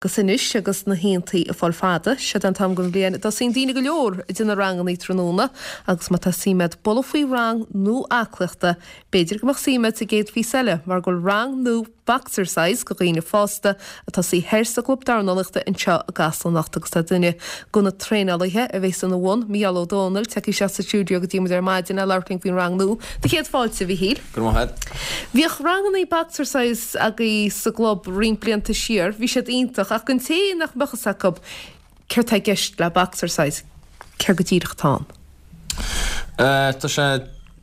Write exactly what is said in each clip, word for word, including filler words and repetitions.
Agus anois agus na hoícheantaí ag fáil fada, siod an t-am den bhliain a dtosaíonn daoine go leor ag déanamh rangannaí tráthnóna agus má tá suim agat bualadh faoi rang nua aclaíochta, b'fhéidir go mbeadh suim agat sa gcéad phíosa eile mar go bhfuil rang nua Boxercise go dhaoine fásta ag tosaí thoir sa gClub Dornálaíochta anseo i gCasla anocht agus tá duine de na traenálaithe a bhéas ina bhun, Mícheál Ó Dónaill, tagtha isteach sa stiúideo go dtí muid ar maidin le labhairt linn faoin rang nua. Do chéad fáilte, a Mhíchíl. Go raibh maith agat. Bhíodh rangannaí Boxercise agaibh sa gclub roinnt blianta siar, bhí siad iontach, ach don té nach mbeadh fhios acu céard tá i gceist le Boxercise, céard go díreach atá ann? Tá sé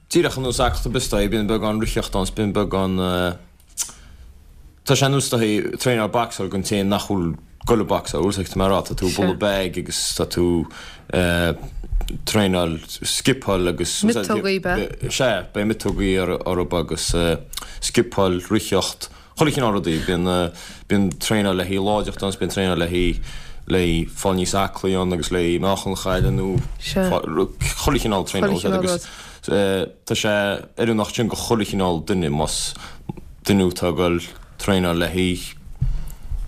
díreach ar nós aclaíocht ar bith is dóigh, bíonn beagán ritheacht ann is bíonn beagán, tá sé ar nós is dóigh traenáil boxáil don té nach bhfuil ag goil ag boxáil, bhfuil fhios agat mar tá tú ag bualadh bag agus tá tú traenáil scipeáil agus Miotógaí ab ea? Sea, beidh miotógaí orthu agus scipeáil, ritheacht, chuile chineál rudaí. Bíonn bíonn traenáil le haghaidh láidreacht ann, bíonn traenáil le haghaidh le haghaidh fáil níos aclaí ann agus le haghaidh meáchan a chailleadh nó chuile chineál traenáil agus tá sé oiriúnach sin do chuile chineál duine más duine atá ag goil traenáil le haghaidh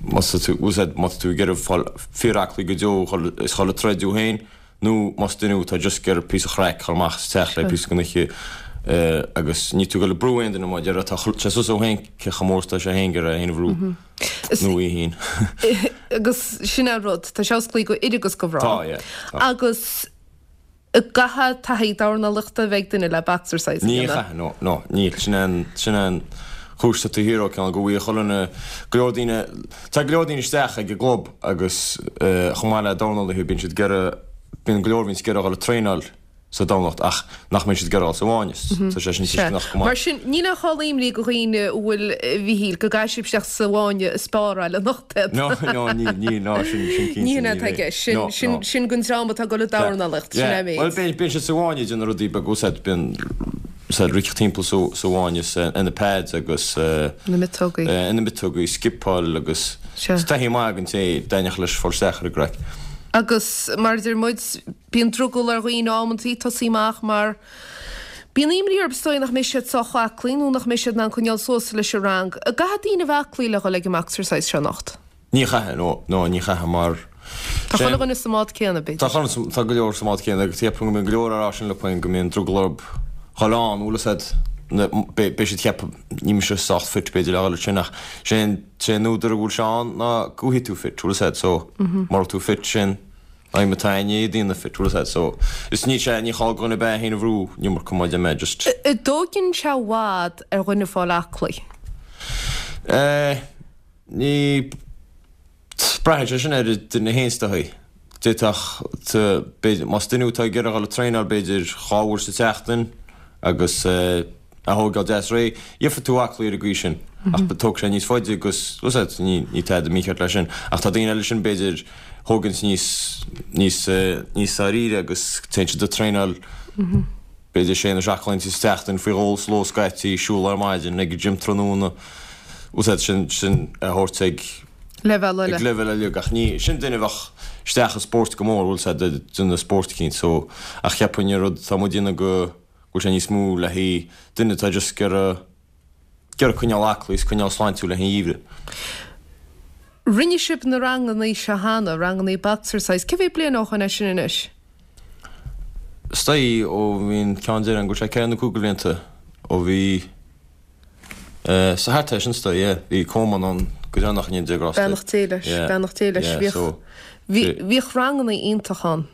más tá tú má tá tú ag iarraidh fáil fíor-aclaí go deo is dhul ag troid thú féin nó más duine atá just ag iarraidh píosa chraic a chur amach sa teach le píosa den oíche agus ní tú ag goil ag brú aon duine mar deir tá sé suas ó féin cé chomh mór is atá sé féin ag iarraidh é féin a bhrú nó í féin. Agus sin é an rud, tá sé osclaí go fhir agus go mná. Tá, yeah. Tá. Agus caithfidh taithí dornálaíochta a bheith ag duine le boxercise a Ní dhéanamh? chaithfidh, no, no, níl. Sin é an, sin é an chúis atá taobh thiar ó cineál go bhfuil chuile dhuine, go leor daoine, tá go leor daoine isteach ag an gclub agus chomh maith le dornálaithe bíonn siad ag iarraidh, bíonn go leor a bhíonns ag iarraidh a dhul ag traenáil sa Domhnach ach nach mbíonn siad ag iarraidh a dhul sa bhfáinne. Tá sé sin tuisceanach go maith. Mar sin, níl aon chall imní go dhaoine a bhfuil, a Mhíchíl, go gcaithfidh sibh isteach sa bhfáinne ag spáráil anocht iad. No, no, níl, níl, no, sin, sin cinnte, Ní hin níl atá i é. gceist. Sin, No, sin, no. sin don dream atá ag dul ag dornálaíocht, sin é an méid. Bhuel, bíonn, bíonn siad sa bhfáinne ag déanamh rudaí beaga, úsáid, bíonn, úsáid rith timpeall sa, sa bhfáinne is ar na pads agus Na miotógaí. ar na miotógaí, scipeáil agus Sea. is taithí maith don té a dtaitneodh leis fáil isteach ar an gcraic. Agus mar a deir muid, bíonn drogall ar dhaoine amantaí tosaí amach mar bíonn imní orthu is dóigh nach mbeidh siad sách aclaí nó nach mbeidh siad in ann coinneáil suas leis an rang. An gcaithfidh daoine a bheith aclaí le dhul ag an mboxercise seo anocht? Ní chaithfidh, no, no, ní chaithfidh mar Tá chuile dhuine sa mbád céanna, Tá b'fhéidir. chuile, tá go leor sa mbád céanna agus ceapaim go mbíonn go leor ag rá sin liom go mbíonn drogall orthu dhul ann, bhfuil fhios a'd, na, beidh, beidh siad ag ceapadh, níl mise sách fit b'fhéidir le dhul ansin ach sé an, sé an údar a bhfuil sé ann ná go bhfaighidh tú fit, bhfuil fhios a'd, so mura bhfuil tú fit sin aidhm atá againn é daoine fit, bhfuil fhios a'd, so is ní sé, ní chall do dhuine ar bith é féin a bhrú an iomarca mar a deir mé, just. An dtóigeann sé i bhfad ar dhuine fáil aclaí? Eh, ní, braitheann sé sin ar an duine féin is dóigh. D'fhéadfadh, b'fhéidir, más duine atá ag iarraidh a dhul ag traenáil b'fhéidir dhá uair sa tseachtain agus é a thógáil deas réidh, gheobhaidh tú aclaí ar an gcaoi sin ach tógfaidh sé níos faide agus, bhfuil fhios a'd, ní, ní tada mícheart leis sin. Ach tá daoine eile sin b'fhéidir thóganns níos, níos, níos dáiríre agus téann siad ag traenáil b'fhéidir sé nó seacht lá sa tseachtain faoi dhó sa ló scaití, siúl ar maidin, ag an gym tráthnóna, bhfuil fhios a'd, sin, sin a thabhairt ag. Leibhéal eile. Ag leibhéal eile ach ní, sin duine a bheadh isteach i spórt go mór, bhfuil fhios a'd, ag déanamh spórt eicínt so, ach cheapfainn an rud atá muid a dhéanamh go bhfuil sé níos mó le haghaidh duine atá just ag iarraidh, ag iarraidh coinneáil aclaí is coinneáil sláintiúil le haghaidh an gheimhridh. Rinne sibh na rangannaí seo cheana, rangannaí boxercise, cé mhéad bliain ó shoin é sin anois? Is dóigh ó bhí an ceann deireadh ann go bhfuil sé ceithre nó cúig de bhlianta ó bhí, So thart air sin is dóigh, yeah. Bhí Coleman ann go deireanach i ndéidh Grásta. Beannacht Dé leis, Yeah. beannacht Dé leis. Yeah, Bhíodh, so, bhí, bhí- bhíodh rangannaí iontach ann.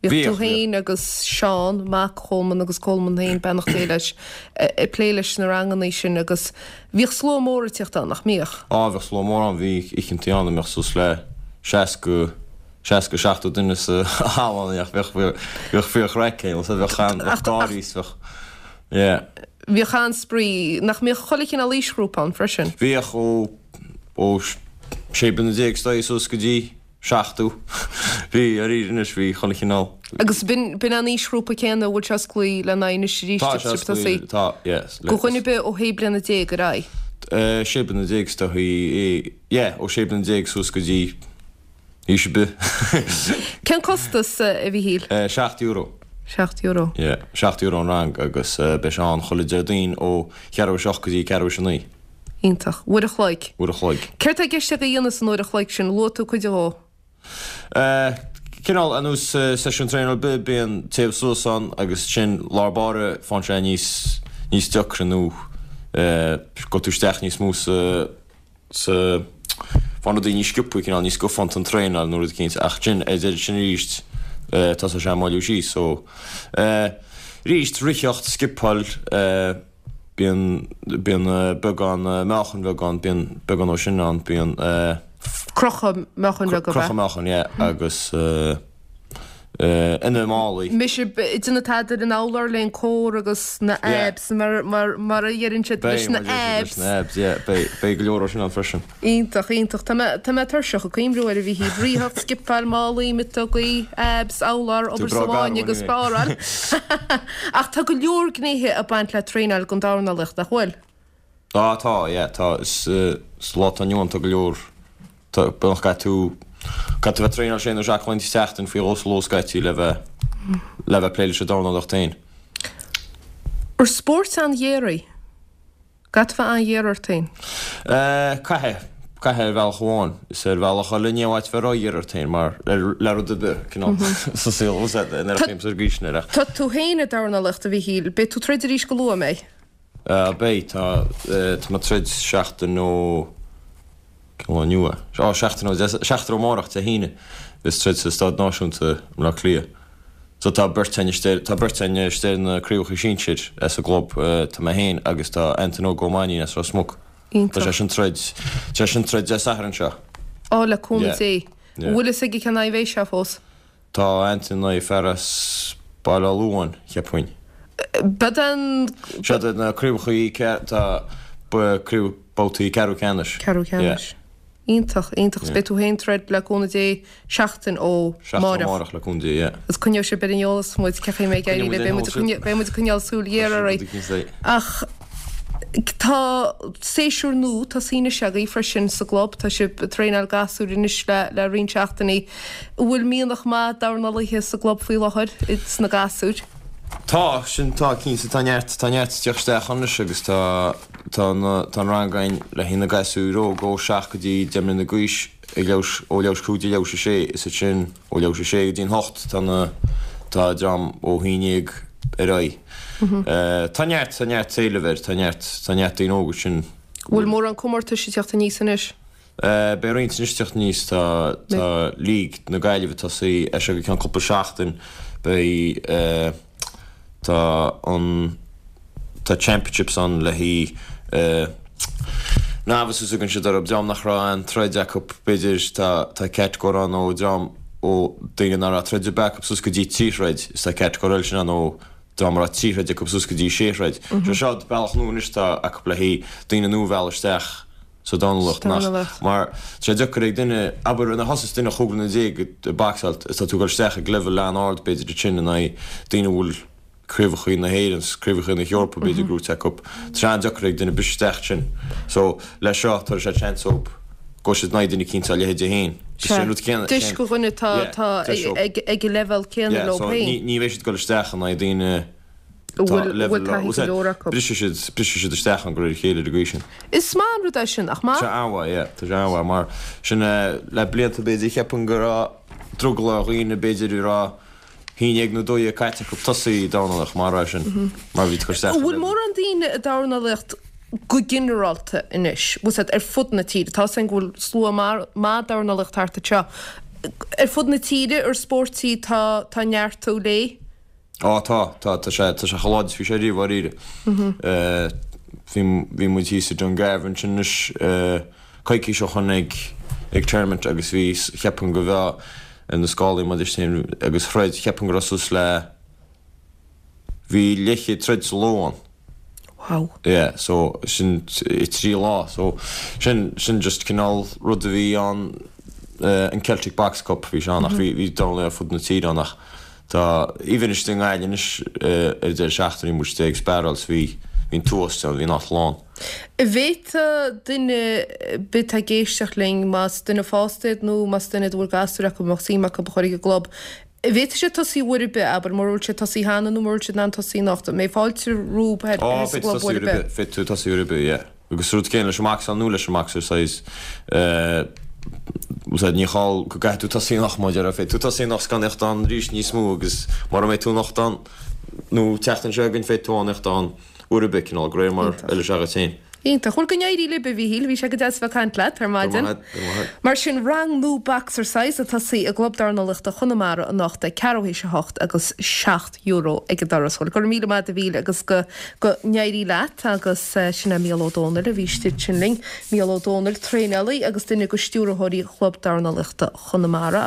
Bhíodh Bhíodh, tú féin agus Seán, mac Choleman agus Coleman féin, beannacht Dé leis, ag plé leis na rangannaí sin agus bhíodh slua mór ag tíocht ann, nach mbíodh? Á, bhíodh slua mór ann, bhí oícheantaí ann a mbeadh suas le seasca, seasca, seachtó duine sa halla ann, bheadh, bheadh fíorchraic ann, bheadh an, bheadh gáirí is bheadh, yeah. Bhíodh an-spraoi. Nach mbíodh chuile chineál aoisghrúpa ann freisin? Bhíodh, ó, ó sé bliana déag is dóigh suas go dtí seachtó. Bhí, arís anois, bhí chuile chineál. Agus b'in, b'in an aoisghrúpa céanna a bhfuil sé osclaí lena aghaidh anois arís, Tá sé osclaí, tá, yes. Do dhuine ar bith ó shé bliana déag ar aghaidh? Sé bliana déag is dóigh, yeah, ó sé bliana déag suas go dtí. Aois ar bith. Cén costas, a Mhíchíl? Seacht euro. Seacht euro. Yeah, seacht euro an rang agus beidh sé ann chuile Déardaoin ó cheathrú a seacht go dtí ceathrú a naoi. Iontach. Uair a chloig. Uair a chloig. Céard tá i gceist agaibh a dhéanamh san uair a chloig sin? Luaigh tú cuid dhó. Cineál ar nós seisiún traenála ar bith, bíonn téamh suas ann agus sin lár báire fághann sé níos níos deacra nó gabhfaidh tú isteach níos mó sa sa faigheann rudaí níos sciobtha, cineál níos scafánta an traenáil nó rud eicínt ach sin ar deireadh sin arís tosóidh sé ag moilliú síos so arís ritheacht, scipeáil, bíonn bíonn beagán meáchan bheag ann, bíonn beagán ó sin ann, bíonn. Crochadh meáchain bheag ab ea? Crochadh meáchain, yeah, agus ina málaí. Mise ag déanamh tada ar an urlár le an core agus na abs mar mar a dheireann siad leis na abs. Beidh, na abs, yeah, beidh, beidh go leor ó sin ann freisin. Iontach, iontach. Tá mé, tá mé tuirseach ag cuimhniú air a Mhíchíl. Ritheacht, scipeáil, málaí, miotógaí, abs, urlár, obair sa bhfáinne agus spáráil. Ach tá go leor gnéithe ag baint le traenáil don dornálaíocht, nach bhfuil? Á, tá, yeah, tá. Is sa lá atá inniu ann tá go leor. Tá, beagnach caithfidh tú, caithfidh tú bheith ag traenáil sé nó seacht laethanta sa tseachtain faoi dhó sa ló scaití le bheith, le bheith ag plé leis an dornálaíocht féin. Ar spórt an-ghéar í? Caithfidh tú bheith an-ghéar ort féin? Eh, caithfidh, caithfidh ar bhealach amháin. Is ar bhealach eile ní mhaith bheith ró-ghéar ort féin mar, le rud ar bith, cineál, sa saol, bhfuil a fhios agat, ar an gcaoi ar sin ach. Tá tú féin ag dornálaíocht a Mhíchíl, beidh tú ag troid arís go luath, an mbeidh? Eh, beidh, tá, tá mé ag troid seachtain ó, Cén lá inniu é? Á, seachtain ó, seachtain ó amárach, Dé hAoine, bheas troid sa Staid Náisiúnta i mBleá Cliath. So tá beirt againn istigh, tá beirt againn istigh ar na craobhacha sinsir as an gclub, tá mé féin agus tá Antain Óg Ó Mainnín as Ros Muc. Iontach. Tá sé sin troid, tá sé sin troid Dé Sathairn seo. Á, le cúnamh Yeah. Dé. Yeah. An bhfuil fhios aige cén aghaidh a bheidh sé fós? Tá Antain in aghaidh fear as Baile Átha Luain, cheapfainn. Beidh an. Siad na craobhacha, tá craobh, babhtaí ceathrú ceannais. Ceathrú ceannais. Iontach, iontach. Is beidh tú féin ag troid le cúnamh Dé seachtain ó Seachtain ó mháireach. mháireach le cúnamh Dé, yeah. Agus coinneoidh sibh ar an eolas muid cén chaoi a mbeidh ag éirí libh. Beidh muid ag coinne, beidh muid ag coinneáil súil ghéar oraibh. Ach tá séasúr nua tosaithe anois agaibh freisin sa gclub. Tá sibh ag traenáil gasúir anois le le roinnt seachtainí. An bhfuil mianach maith dornálaithe sa gclub faoi láthair, sna gasúir? Tá, sin, tá, cinnte, tá neart, tá neart ag teacht isteach anois agus tá, tá na, tá an rang againn le haghaidh na gasúir óg ó seacht go dtí deich mbliana d'aois ag leathuair, ó leathuair tar éis a cúig go dtí leathuair tar éis a sé, is ansin ó leathuair tar éis a sé go dtí an hocht tá na, tá dream ó haon déag ar aghaidh. Tá neart, tá neart éilimh air, tá neart, tá neart daoine óga sin. Bhfuil mórán comórtais ag teacht aníos anois? Beidh roinnt anois ag teacht aníos, tá, tá League na Gaillimhe ag tosaí as seo go ceann cúpla seachtain, beidh, Tá an tá championships ann le haghaidh novices a thugann siad orthu, dream nach raibh aon troid acu b'fhéidir, tá tá catagóir ann ó dream ó daoine nach raibh troid ar bith acu suas go dtí trí throid is tá catagóir eile sin ann ó dream a raibh trí throid acu suas go dtí sé throid. Sé seo bealach nua anois atá acu le haghaidh daoine nua a mhealladh isteach sa dornálaíocht nach mar tá sé deacair ag duine abair nuair a thosaíos duine chúig bliana déag ag bocsáil is tá tú ag dul isteach ag leibhéal an-ard b'fhéidir ansin in aghaidh daoine a bhfuil craobhacha na hÉireann 's craobhacha na hEorpa b'fhéidir gnóite acu tá sé an-deacair ag duine briseadh isteach ansin so leis seo tabharfaidh sé seans dóibh go bhfuil siad in aghaidh duine eicínt dá leithéide féin is é an rud céanna Deis do dhuine atá yeah atá deis dóibh ag ag an leibhéal céanna yeah leo so féin. ní ní bheidh siad ag dul isteach in aghaidh daoine a tá bhfuil a bhfuil leibhéal taithí go leor acu. brisfidh siad brisfidh siad isteach ann de réir a chéile ar an gcaoi sin. Is maith an rud é sin, nach maith? Tá sé an-mhaith, yeah, tá sé an-mhaith mar sin le blianta b'fhéidir cheapfainn go raibh drogall ar dhaoine b'fhéidir a raibh haon déag nó dó dhéag caite acu tosaí ag dornálaíocht mar é sin mar bhí tú ag cur isteach An ar bhfuil leibhéal. mórán daoine ag dornálaíocht go ginearálta anois, bhfuil 's agat, ar fud na tíre? Tá 's againn go bhfuil slua maith dornálaíocht thart anseo. Ar fud na tíre, ar spórt í tá tá neartú léi? Á tá, tá, tá sé, tá sé chomh láidir is bhí sé riamh dháiríre. Bhí, bhí muid thíos i Dungarvan ansin anois coicís ó shoin ag, ag tournament agus bhí, cheapfainn go bhfeá ar na scálaí maidir sin agus throid, cheapfainn go raibh suas le, bhí leathchéad troid sa ló ann. Wow. Yeah, so sin i trí lá, so sin, sin just cineál rud a bhí ann, an Celtic Box Cup bhí sé ann ach bhí, bhí dornálaithe ar fud na tíre ann ach tá, even istigh i nGaillimh anois ar an deireadh seachtaine bhí muid istigh ag sparáil 's bhí, bhí an t-uas ann, bhí an áit lán. An bhféadfadh duine ar bith atá ag éisteacht linn, más duine fásta iad nó más duine iad a bhfuil gasúir acu, a mbeadh suim acu a chur ag an gclub, an bhféadfadh siad tosaí uair ar bith, abair, mura bhfuil siad tosaí cheana nó mura bhfuil siad in ann tosaí anocht, an mbeidh fáilte rompu Á, sa féadfaidh gclub tosaí uair uair ar ar bith? bith, féadfaidh tú tosaí uair ar bith, yeah. Agus rud céanna leis an mbocsáil nó leis an mboxercise, úsáid ní chall go gcaithfidh tú tosaí anocht mar a déarfá, féadfaidh tú tosaí anocht 's gan theacht ann arís níos mó agus mura mbeidh tú anocht ann nó an tseachtain seo chugainn féadfaidh tú ann theacht ann uair ar bith, cineál, de réir mar a fheilfidh sé dhuit féin. Iontach. Bhuel, go n-éirí libh, a Mhíchíl. Bhí sé go deas a bheith ag caint leat ar maidin. Go raibh maith agat, go raibh maith agat. Mar sin, rang nua Boxercise ag tosaí i gClub Dornálaíochta Chonamara anocht ag ceathrú théis a hocht agus seacht euro ag an doras. Bhuel, go raibh míle maith agat a Mhíchíl agus go go n-éirí leat agus sin é Mícheál Ó Dónaill a bhí istigh ansin linn. Mícheál Ó Dónaill, traenálaí agus duine de stiúrthóirí Chlub Dornálaíochta Chonamara.